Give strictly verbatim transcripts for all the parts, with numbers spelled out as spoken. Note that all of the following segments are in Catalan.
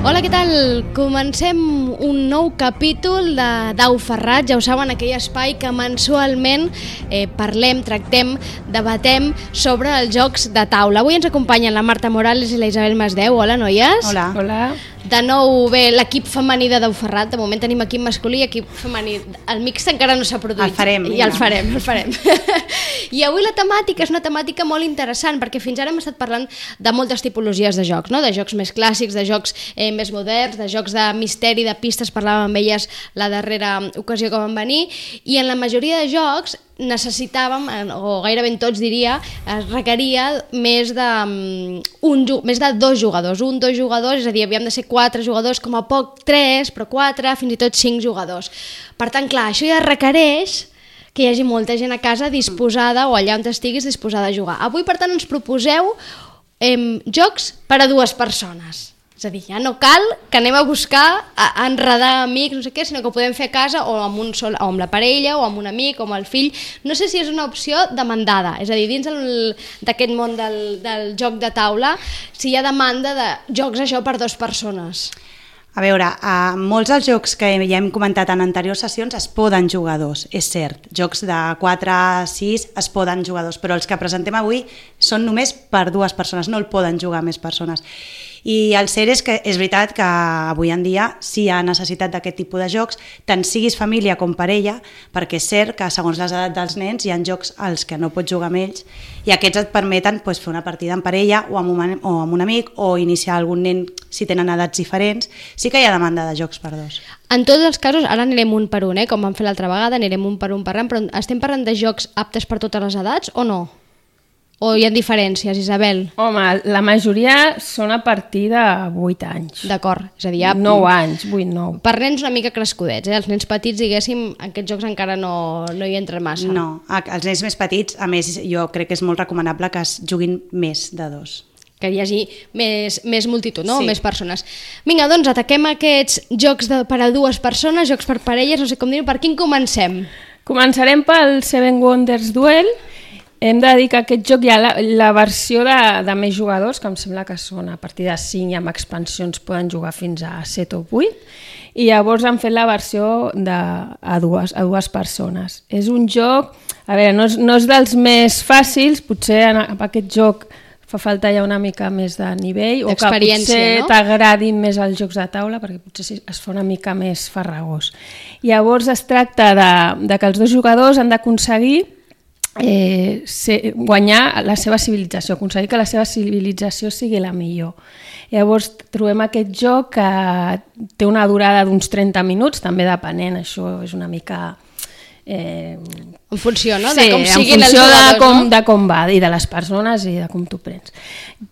Hola, què tal? Comencem un nou capítol de Dau Ferrat, ja ho saben, aquell espai que mensualment eh, parlem, tractem, debatem sobre els jocs de taula. Avui ens acompanyen la Marta Morales i la Isabel Masdeu. Hola, noies. Hola. Hola. De nou, bé, l'equip femení de Dau Ferrat. De moment tenim equip masculí i equip femení. El mix encara no s'ha produït. El farem. I el farem, el farem. I avui la temàtica és una temàtica molt interessant, perquè fins ara hem estat parlant de moltes tipologies de jocs, no? De jocs més clàssics, de jocs eh, més moderns, de jocs de misteri, de pistes, parlàvem amb elles la darrera ocasió que van venir, i en la majoria de jocs necessitàvem, o gairebé tots diria, es requeria més de, un, més de dos jugadors, un, dos jugadors, és a dir, havíem de ser quatre jugadors, com a poc tres, però quatre, fins i tot cinc jugadors. Per tant, clar, això ja requereix que hi hagi molta gent a casa disposada, o allà on estiguis, disposada a jugar. Avui, per tant, ens proposeu eh, jocs per a dues persones. És a dir, ja no cal que anem a buscar, a, a enredar amics, no sé què, sinó que ho podem fer a casa o amb, un sol, o amb la parella, o amb un amic, o amb el fill. No sé si és una opció demandada, és a dir, dins d'aquest món del, del joc de taula, si hi ha demanda de jocs això per dues persones. A veure, a molts dels jocs que ja hem comentat en anteriors sessions es poden jugar dos, és cert. Jocs de quatre a sis es poden jugar dos, però els que presentem avui són només per dues persones, no el poden jugar més persones. I el cert és que és veritat que avui en dia sí hi ha necessitat d'aquest tipus de jocs, tant siguis família com parella, perquè és cert que segons les edats dels nens hi ha jocs als que no pots jugar amb ells i aquests et permeten pues, fer una partida en parella o amb, un, o amb un amic o iniciar algun nen si tenen edats diferents. Sí que hi ha demanda de jocs per dos. En tots els casos, ara anirem un per un, eh? Com vam fer l'altra vegada, anirem un per un parlant, però estem parlant de jocs aptes per totes les edats o no? O hi ha diferències, Isabel? Home, la majoria són a partir de vuit anys. D'acord, és a dir, ja... nou anys, vuit, nou. Per nens una mica crescudets, eh? Els nens petits, diguéssim, aquests jocs encara no, no hi entren massa. No, els nens més petits, a més, jo crec que és molt recomanable que es juguin més de dos. Que hi hagi més, més multitud, no? Sí. Més persones. Vinga, doncs ataquem aquests jocs de, per a dues persones, jocs per parelles, no sé com dir-ho. Per quin comencem? Començarem pel Seven Wonders Duel. Hem de dir que aquest joc hi ha la, la versió de, de més jugadors, que em sembla que són a partir de cinc i amb expansions poden jugar fins a set o vuit, i llavors han fet la versió de, a, dues, a dues persones. És un joc, a veure, no és, no és dels més fàcils, potser en, en aquest joc fa falta ja una mica més de nivell, o que potser no? T'agradin més els jocs de taula, perquè potser es fa una mica més farragós. Llavors es tracta de, de que els dos jugadors han d'aconseguir Eh, ser, guanyar la seva civilització, aconseguir que la seva civilització sigui la millor. Llavors trobem aquest joc que té una durada d'uns trenta minuts, també depenent, això és una mica... Eh, en funció, no? Sí, de com siguin en funció els jugadors, de com, no? de com va, i de les persones i de com t'ho prens.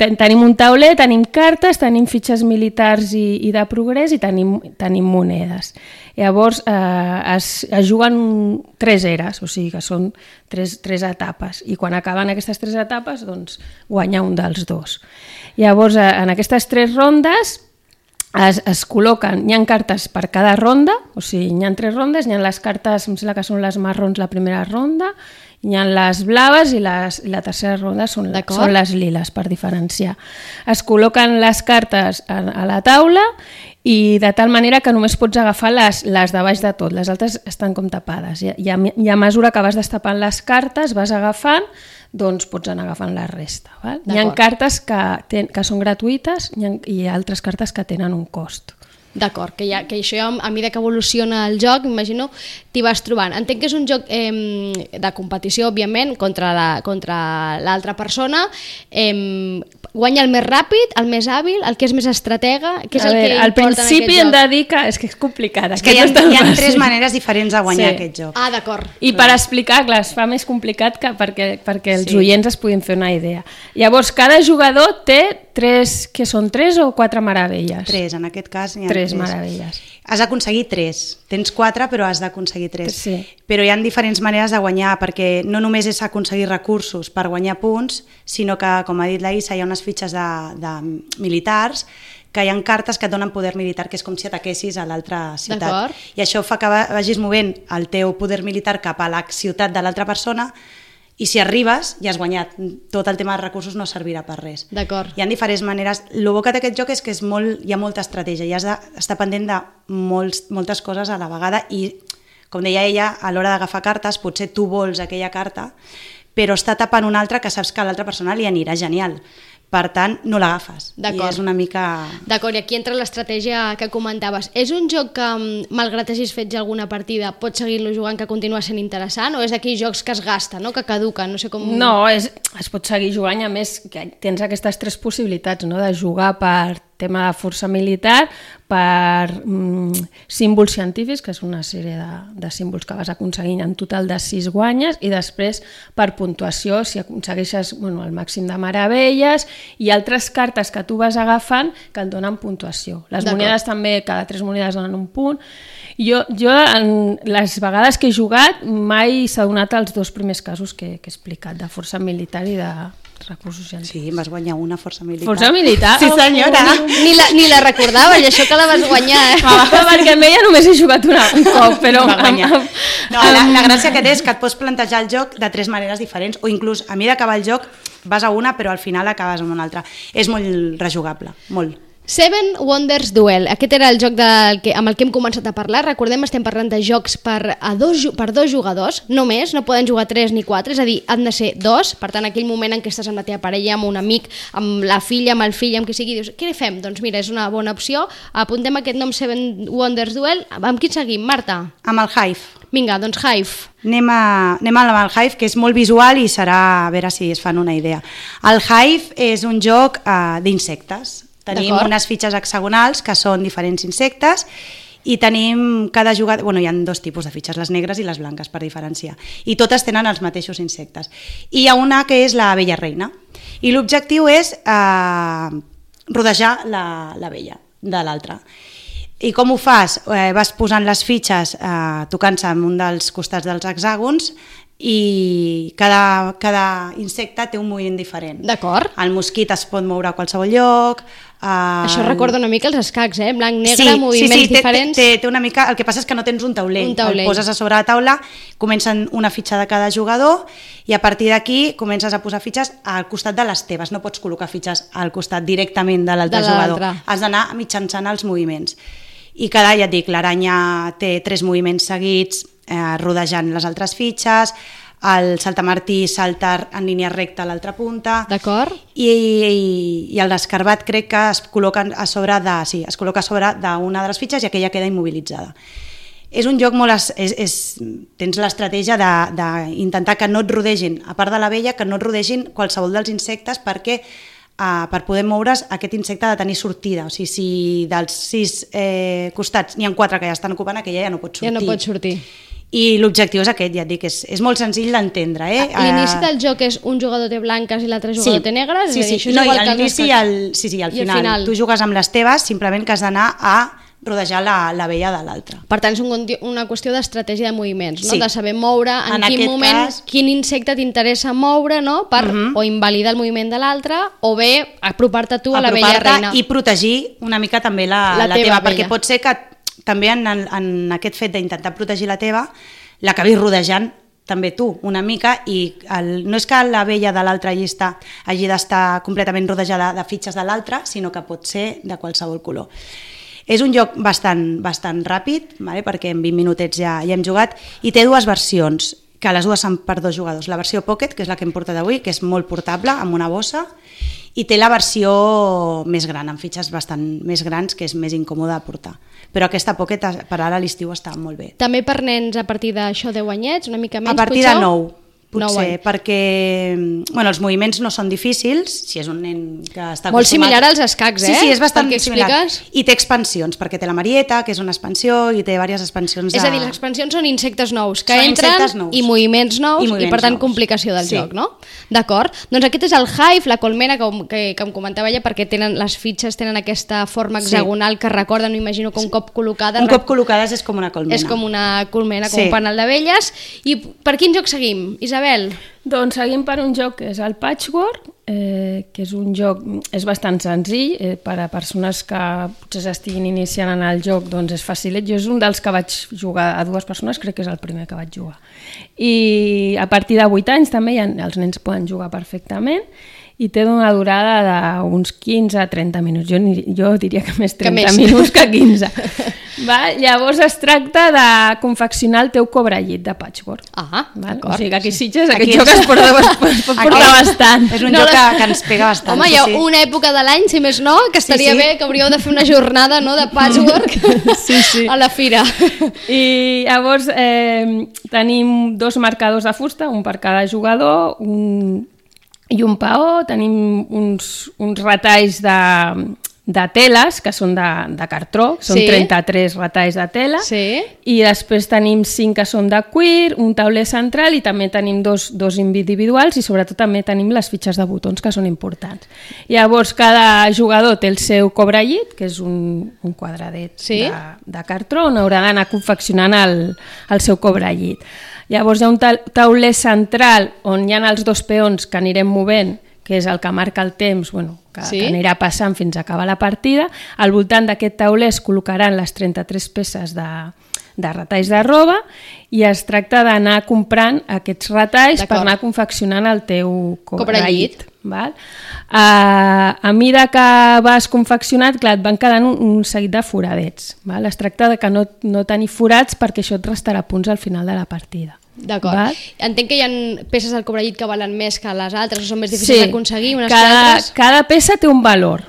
Ten, tenim un tauler, tenim cartes, tenim fitxes militars i, i de progrés i tenim, tenim monedes. Llavors eh, es, es juguen tres eres, o sigui que són tres, tres etapes, i quan acaben aquestes tres etapes doncs guanya un dels dos. Llavors eh, en aquestes tres rondes Es, es col·loquen, hi ha cartes per cada ronda, o sigui, hi ha tres rondes, hi ha les cartes, em sembla que són les marrons la primera ronda, hi ha les blaves i, les, i la tercera ronda són, són les liles, per diferenciar. Es col·loquen les cartes a, a la taula i de tal manera que només pots agafar les, les de baix de tot, les altres estan com tapades. I, i, a, i a mesura que vas destapant les cartes, vas agafant, doncs pots anar agafant la resta. Val? Hi ha cartes que, ten, que són gratuïtes i, i altres cartes que tenen un cost. D'acord, que, ja, que això ja a mesura que evoluciona el joc, m'imagino, t'hi vas trobant. Entenc que és un joc eh, de competició, òbviament, contra la, contra l'altra persona. Eh, guanya el més ràpid, el més hàbil, el que és més estratega, què és a el veure, que al importa en aquest joc? Al principi hem de dir que és que és complicat. És que hi ha, hi ha tres maneres diferents de guanyar sí. aquest joc. Ah, d'acord. I per explicar, clar, es fa més complicat que perquè, perquè els sí. oients es puguin fer una idea. Llavors, cada jugador té tres, que són tres o quatre meravelles? Tres, en aquest cas hi ha tres. Tres tres meravelles. Has d'aconseguir tres. Tens quatre, però has d'aconseguir tres. Sí. Però hi ha diferents maneres de guanyar, perquè no només és aconseguir recursos per guanyar punts, sinó que, com ha dit la Isa, hi ha unes fitxes de, de militars que hi ha cartes que et donen poder militar, que és com si ataquessis a l'altra ciutat. I això fa que vagis movent el teu poder militar cap a la ciutat de l'altra persona i si arribes ja has guanyat, tot el tema de recursos no servirà per res. D'acord. Hi ha diferents maneres, el bo que té aquest joc és que és molt, hi ha molta estratègia i has d'estar pendent de molts, moltes coses a la vegada i, com deia ella, a l'hora d'agafar cartes potser tu vols aquella carta però està tapant una altra que saps que a l'altra persona li anirà genial. Per tant, no l'agafes. I és una mica... D'acord, i aquí entra l'estratègia que comentaves. És un joc que, malgrat hagis fet ja alguna partida, pots seguir-lo jugant, que continua sent interessant, o és d'aquells jocs que es gasta, no? Que caduquen, no sé com... No, és, es pot seguir jugant, a més que tens aquestes tres possibilitats, no? De jugar per tema de força militar, per mm, símbols científics, que és una sèrie de, de símbols que vas aconseguint en total de sis guanyes, i després per puntuació, si aconsegueixes bueno, el màxim de meravelles, i altres cartes que tu vas agafant que et donen puntuació. Les monedes també, cada tres monedes donen un punt. Jo, jo en les vegades que he jugat, mai s'ha donat els dos primers casos que, que he explicat, de força militar i de recursos científics. Sí, vas guanyar una força militar. Força militar? Sí, senyora. Oh, ni, la, ni la recordava, i això que la vas guanyar. Eh? Ah, perquè amb ella només he jugat una, un cop, però... Va guanyar. No, la, la gràcia que té és que et pots plantejar el joc de tres maneres diferents, o inclús a mi d'acabar el joc vas a una però al final acabes amb una altra. És molt rejugable, molt. Seven Wonders Duel, aquest era el joc del que, amb el que hem començat a parlar. Recordem, estem parlant de jocs per, a dos, per dos jugadors, només, no poden jugar tres ni quatre, és a dir, han de ser dos. Per tant, aquell moment en què estàs amb la teva parella, amb un amic, amb la filla, amb el fill, amb qui sigui, dius, què fem? Doncs mira, és una bona opció, apuntem aquest nom Seven Wonders Duel. Amb qui seguim, Marta? Amb el Hive. Vinga, doncs Hive. Anem, a, anem amb el Hive, que és molt visual i serà a veure si es fan una idea. El Hive és un joc uh, d'insectes. Tenim unes fitxes hexagonals que són diferents insectes i tenim cada jugador... Bueno, hi ha dos tipus de fitxes, les negres i les blanques, per diferenciar. I totes tenen els mateixos insectes. I hi ha una que és la Bella Reina. I l'objectiu és eh, rodejar la, la vella de l'altra. I com ho fas? Eh, vas posant les fitxes eh, tocant-se en un dels costats dels hexàgons i cada, cada insecte té un moviment diferent. D'acord. El mosquit es pot moure a qualsevol lloc. Uh... Això recorda una mica els escacs, eh? Blanc, negre, sí, moviments sí, sí, diferents. Té, té, té una mica... El que passa és que no tens un taulell. Un taulell. El poses a sobre la taula, comencen una fitxa de cada jugador i a partir d'aquí comences a posar fitxes al costat de les teves. No pots col·locar fitxes al costat directament de l'altre jugador. Has d'anar mitjançant els moviments. I cada, ja et dic, l'aranya té tres moviments seguits eh, rodejant les altres fitxes, el saltamartí salta en línia recta a l'altra punta. D'acord. I, i, i el l'escarbat crec que es col·loca a sobre de, sí, es col·loca a sobre d'una de les fitxes i aquella queda immobilitzada. És un joc molt... És, és, tens l'estratègia d'intentar que no et rodegin, a part de la vella, que no et rodegin qualsevol dels insectes perquè Uh, per poder moure's, aquest insecte ha de tenir sortida. O sigui, si dels sis eh, costats n'hi ha quatre que ja estan ocupant, aquella ja no pot sortir. Ja no pot sortir. I l'objectiu és aquest, ja et dic, és, és molt senzill d'entendre. Eh? L'inici del joc és un jugador té blanques i l'altre jugador sí, té negres? Sí, sí, és no, igual i l'inici i el, sí, sí, al final, al final. Tu jugues amb les teves, simplement que has d'anar a rodejar la, la vella de l'altra. Per tant, és un, una qüestió d'estratègia de moviments, no? Sí. De saber moure en, en quin moment, cas... quin insecte t'interessa moure, no? Per uh -huh. o invalidar el moviment de l'altre o bé apropar-te tu a la Bella Reina. I protegir una mica també la, la, la teva, teva, perquè pot ser que també en, en aquest fet d'intentar protegir la teva l'acabis rodejant també tu, una mica, i el, no és que la vella de l'altra llista hagi d'estar completament rodejada de fitxes de l'altra, sinó que pot ser de qualsevol color. És un joc bastant, bastant ràpid, vale? Perquè en vint minutets ja, ja hem jugat, i té dues versions, que les dues són per dos jugadors. La versió Pocket, que és la que hem portat avui, que és molt portable, amb una bossa, i té la versió més gran, amb fitxes bastant més grans, que és més incòmode de portar. Però aquesta Pocket per ara a l'estiu està molt bé. També per nens a partir d'això deu anyets, una mica menys, A partir potser? de nou. Potser, no, perquè bueno, els moviments no són difícils, si és un nen que està molt acostumat... similar als escacs, eh? Sí, sí, és bastant similar. Expliques? I té expansions, perquè té la Marieta, que és una expansió, i té diverses expansions. De... És a dir, les expansions són insectes nous, que són entren nous. I moviments nous, i, moviments i per tant nous. Complicació del sí. joc, no? D'acord. Doncs aquest és el Hive, la colmena, que, que, que em comentava ella, perquè tenen, les fitxes tenen aquesta forma hexagonal sí. que recorden, m'imagino que un cop col·locada... Un cop col·locades és com una colmena. És com una colmena, com sí. un panel d'abelles. I per quin joc seguim, Isabel? Isabel? Doncs seguim per un joc que és el Patchwork, eh, que és un joc, és bastant senzill, eh, per a persones que potser s'estiguin iniciant en el joc, doncs és facilet. Jo és un dels que vaig jugar a dues persones, crec que és el primer que vaig jugar. I a partir de vuit anys també ja, els nens poden jugar perfectament, i té una durada d'uns quinze a trenta minuts. Jo, jo diria que més trenta que més. minuts que quinze. Va? Llavors es tracta de confeccionar el teu cobrellit de patchwork. Ah, d'acord. O sigui que aquí Sitges aquest joc es porta, es pot portar bastant. És un no, joc que, que ens pega bastant. Home, hi ha sí, sí. una època de l'any, si més no, que estaria sí, sí. bé que hauríeu de fer una jornada, no?, de patchwork sí, sí. a la fira. I llavors eh, tenim dos marcadors de fusta, un per cada jugador, un... i un paó, tenim uns, uns retalls de, de teles, que són de, de cartró, són sí. trenta-tres retalls de tela, sí. i després tenim cinc que són de cuir, un tauler central i també tenim dos, dos individuals i sobretot també tenim les fitxes de botons que són importants. Llavors cada jugador té el seu cobrellit, que és un, un quadradet sí. de, de cartró on haurà d'anar confeccionant el, el seu cobrellit. Llavors hi ha un tauler central on hi ha els dos peons que anirem movent, que és el que marca el temps, bueno, que, sí? que anirà passant fins a acabar la partida. Al voltant d'aquest tauler es col·locaran les trenta-tres peces de, de retalls de roba i es tracta d'anar comprant aquests retalls per anar confeccionant el teu cobrellit. Val? Uh, a mesura que vas confeccionat, clar, et van quedant un, un seguit de foradets. Val? Es tracta de que no, no tenir forats perquè això et restarà punts al final de la partida. D'acord. Entenc que hi ha peces del cobrellit que valen més que les altres o són més difícils sí. d'aconseguir unes cada, que altres? Cada peça té un valor,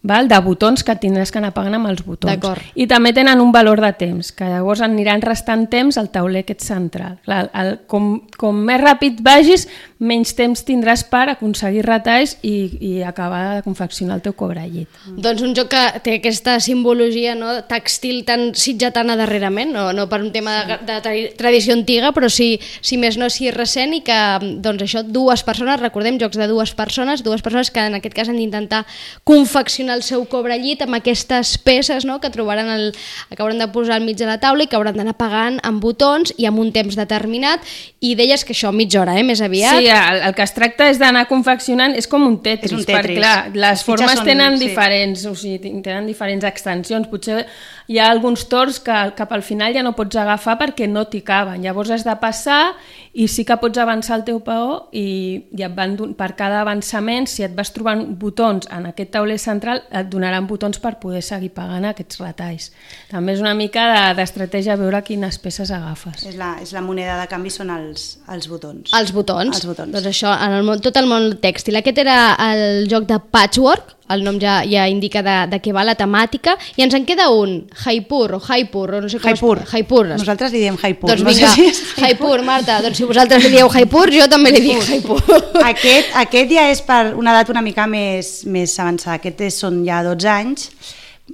val? De botons que tindràs que anar pagant amb els botons. I també tenen un valor de temps, que llavors aniran restant temps al tauler aquest central. Clar, el, com, com més ràpid vagis, menys temps tindràs per aconseguir retalls i, i acabar de confeccionar el teu cobrellit. Mm. Doncs un joc que té aquesta simbologia, no, tèxtil tan sitgetana darrerament, no, no per un tema de, de tra tradició antiga, però sí, si més no, si recent, i que doncs això, dues persones, recordem, jocs de dues persones, dues persones que en aquest cas han d'intentar confeccionar el seu cobrellit amb aquestes peces, no?, que trobaran el, que hauran de posar al mig de la taula i que hauran d'anar pagant amb botons i amb un temps determinat, i deies que això mitja hora, eh, més aviat. Sí, el, el que es tracta és d'anar confeccionant, és com un Tetris, un tetris. perquè clar, les formes són, tenen sí. diferents, o sigui, tenen diferents extensions, potser hi ha alguns torns que cap al final ja no pots agafar perquè no t'hi caben, llavors has de passar i sí que pots avançar el teu paó i, i et van, per cada avançament, si et vas trobant botons en aquest tauler central, et donaran botons per poder seguir pagant aquests retalls. També és una mica d'estratègia de, veure quines peces agafes. És la, és la moneda de canvi, són els, els botons. Els botons. Els botons. Doncs això, en el món, tot el món tèxtil. Aquest era el joc de Patchwork, el nom ja, ja indica de, de què va la temàtica, i ens en queda un, Jaipur o Jaipur, o no sé com Jaipur. es... Jaipur. Nosaltres li diem Jaipur. Doncs no vinga, sé si és Jaipur, Marta, doncs si vosaltres li dieu Jaipur, jo també li dic Jaipur. Aquest, aquest ja és per una edat una mica més, més avançada, aquest és, són ja dotze anys.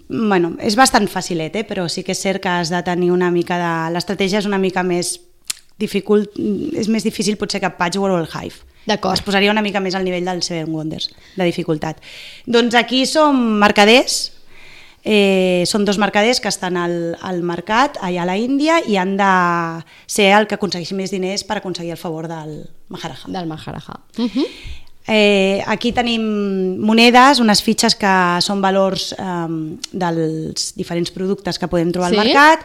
Bueno, és bastant facilet, eh? Però sí que és cert que has de tenir una mica de... L'estratègia és una mica més dificult, és més difícil potser que Patchwork o el Hive. D'acord. Es posaria una mica més al nivell del Seven Wonders, de dificultat. Doncs aquí som mercaders, eh, són dos mercaders que estan al, al mercat, allà a la Índia, i han de ser el que aconsegueixi més diners per aconseguir el favor del Maharaja. Del Maharaja. Uh -huh. Eh, aquí tenim monedes, unes fitxes que són valors eh, dels diferents productes que podem trobar sí? al mercat,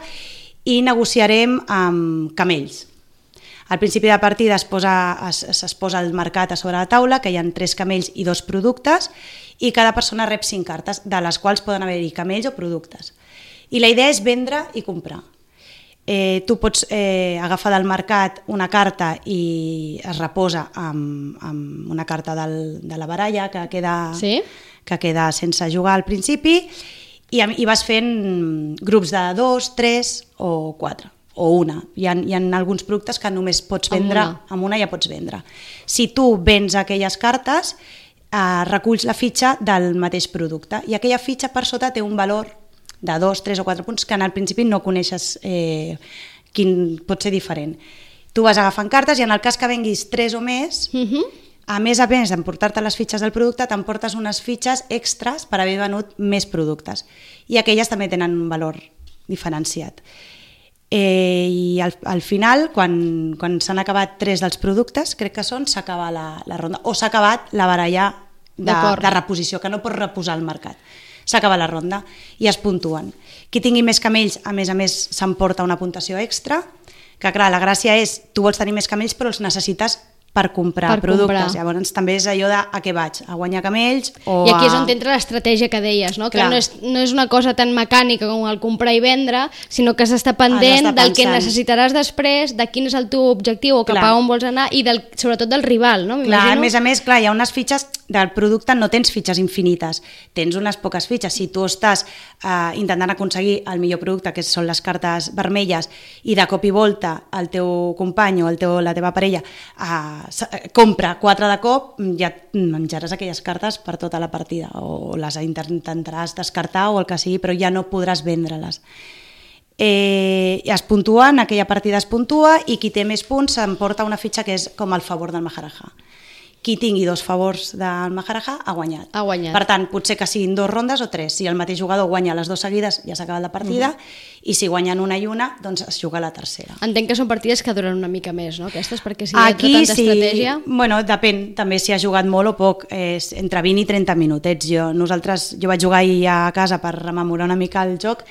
i negociarem amb camells. Al principi de partida es posa, es, es posa el mercat a sobre la taula, que hi ha tres camells i dos productes, i cada persona rep cinc cartes, de les quals poden haver-hi camells o productes. I la idea és vendre i comprar. Eh, tu pots eh, agafar del mercat una carta i es reposa amb, amb una carta del, de la baralla que queda, sí? que queda sense jugar al principi, i, i vas fent grups de dos, tres o quatre. O una. Hi ha, hi ha alguns productes que només pots vendre, amb una, amb una ja pots vendre. Si tu vens aquelles cartes, eh, reculls la fitxa del mateix producte, i aquella fitxa per sota té un valor de dos, tres o quatre punts que en el principi no coneixes eh, quin pot ser diferent. Tu vas agafant cartes i en el cas que venguis tres o més, uh-huh. a més a més d'emportar-te les fitxes del producte, t'emportes unes fitxes extras per haver venut més productes, i aquelles també tenen un valor diferenciat. Eh, I al, al final, quan, quan s'han acabat tres dels productes, crec que són, s'acaba la, la ronda. O s'ha acabat la baralla de, de reposició, que no pots reposar al mercat. S'acaba la ronda i es puntuen. Qui tingui més camells, a més a més, s'emporta una puntuació extra, que clar, la gràcia és, tu vols tenir més camells però els necessites per comprar per productes. Comprar. Llavors també és allò de a què vaig, a guanyar camells o I aquí és a... on entra l'estratègia que deies, no? Clar. Que no és, no és una cosa tan mecànica com el comprar i vendre, sinó que has d'estar pendent d'estar del que pensant. necessitaràs després, de quin és el teu objectiu o cap Clar. a on vols anar i del, sobretot del rival, no? Clar, a més a més, clar, hi ha unes fitxes del producte, no tens fitxes infinites, tens unes poques fitxes. Si tu estàs eh, intentant aconseguir el millor producte, que són les cartes vermelles, i de cop i volta el teu company o el teu, la teva parella eh, compra quatre de cop, ja menjaràs aquelles cartes per tota la partida, o les intentaràs descartar o el que sigui, però ja no podràs vendre-les. Eh, es puntuen, aquella partida es puntua i qui té més punts s'emporta una fitxa que és com el favor del Maharaja. Qui tingui dos favors del Maharaja ha guanyat. Ha guanyat. Per tant, potser que siguin dos rondes o tres. Si el mateix jugador guanya les dues seguides, ja s'ha acabat la partida, uh-huh. i si guanyen una i una, doncs es juga la tercera. Entenc que són partides que duren una mica més, no? Aquestes, perquè si hi ha Aquí, tanta sí, estratègia... Bueno, depèn, també si ha jugat molt o poc, és entre vint i trenta minutets. Jo, nosaltres, jo vaig jugar ahir a casa per rememorar una mica el joc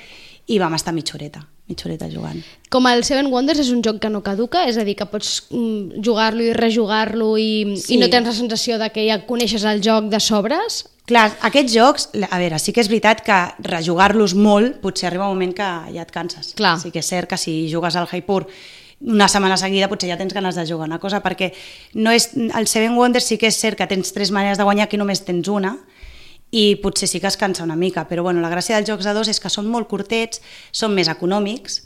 i vam estar mitja horeta, mitja horeta jugant. Com el Seven Wonders és un joc que no caduca, és a dir, que pots mm, jugar-lo i rejugar-lo i, Sí. i no tens la sensació de que ja coneixes el joc de sobres? Clar, aquests jocs, a veure, sí que és veritat que rejugar-los molt, potser arriba un moment que ja et canses. Clar. Sí que és cert que si jugues al Jaipur una setmana seguida potser ja tens ganes de jugar una cosa, perquè no és, el Seven Wonders sí que és cert que tens tres maneres de guanyar, aquí només tens una, i potser sí que es cansa una mica, però bueno, la gràcia dels jocs de dos és que són molt curtets, són més econòmics,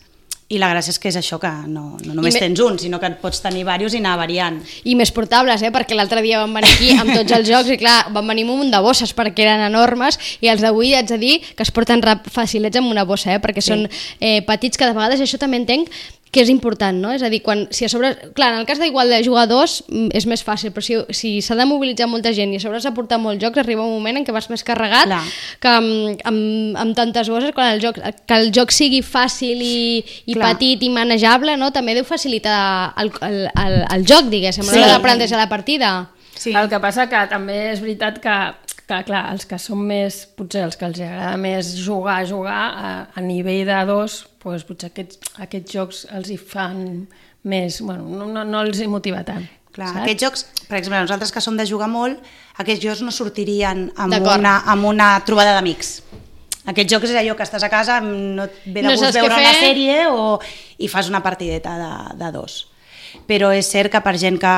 i la gràcia és que és això, que no, no només me... tens un, sinó que et pots tenir diversos i anar variant. I més portables, eh? Perquè l'altre dia van venir aquí amb tots els jocs i clar, van venir amb un munt de bosses perquè eren enormes i els d'avui haig de dir que es porten rap facilets amb una bossa, eh? Perquè sí. Són eh, petits, que de vegades això també entenc que és important, no? És a dir, quan, si a sobre... Clar, en el cas d'igual de jugadors és més fàcil, però si, si s'ha de mobilitzar molta gent i a sobre s'ha portat molts jocs, arriba un moment en què vas més carregat Clar. que amb, amb, amb tantes bosses, quan el joc, que el joc sigui fàcil i, i petit i manejable, no? També deu facilitar el, el, el, el joc, diguéssim, a l'hora sí. d'aprenentar la partida. Sí. El que passa que també és veritat que, que clar, els que són més, potser els que els agrada més jugar, jugar, a, a nivell de dos, doncs potser aquests, aquests jocs els hi fan més, bueno, no, no, no els hi motiva tant. Clar, saps? aquests jocs, per exemple, nosaltres que som de jugar molt, aquests jocs no sortirien amb, una, amb una trobada d'amics. Aquests jocs és allò que estàs a casa, no et ve de no gust veure una sèrie o, i fas una partideta de, de dos. Però és cert que per gent que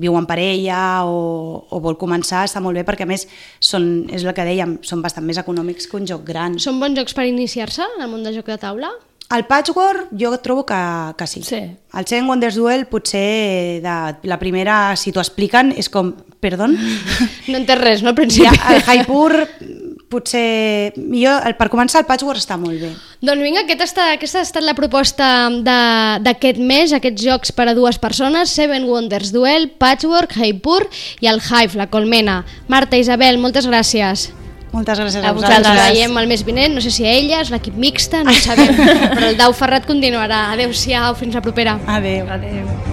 viu en parella o, o vol començar està molt bé, perquè a més són, és el que dèiem, són bastant més econòmics que un joc gran. Són bons jocs per iniciar-se en el món de joc de taula? El Patchwork jo trobo que, que sí. sí. El Seven Wonders Duel potser de, la primera, si t'ho expliquen, és com, perdó? No entens res, no, al principi? Ja, el Jaipur potser... Jo, el, per començar, el Patchwork està molt bé. Doncs vinga, aquesta, està, aquesta ha estat la proposta d'aquest mes, aquests jocs per a dues persones, Seven Wonders Duel, Patchwork, Jaipur i el Hive, la colmena. Marta, Isabel, moltes gràcies. Moltes gràcies a, a vosaltres. Ens veiem el mes vinent, no sé si a elles, l'equip mixta, no ho sabem, però el Dau Ferrat continuarà. Adéu-siau, fins la propera. Adéu. Adéu.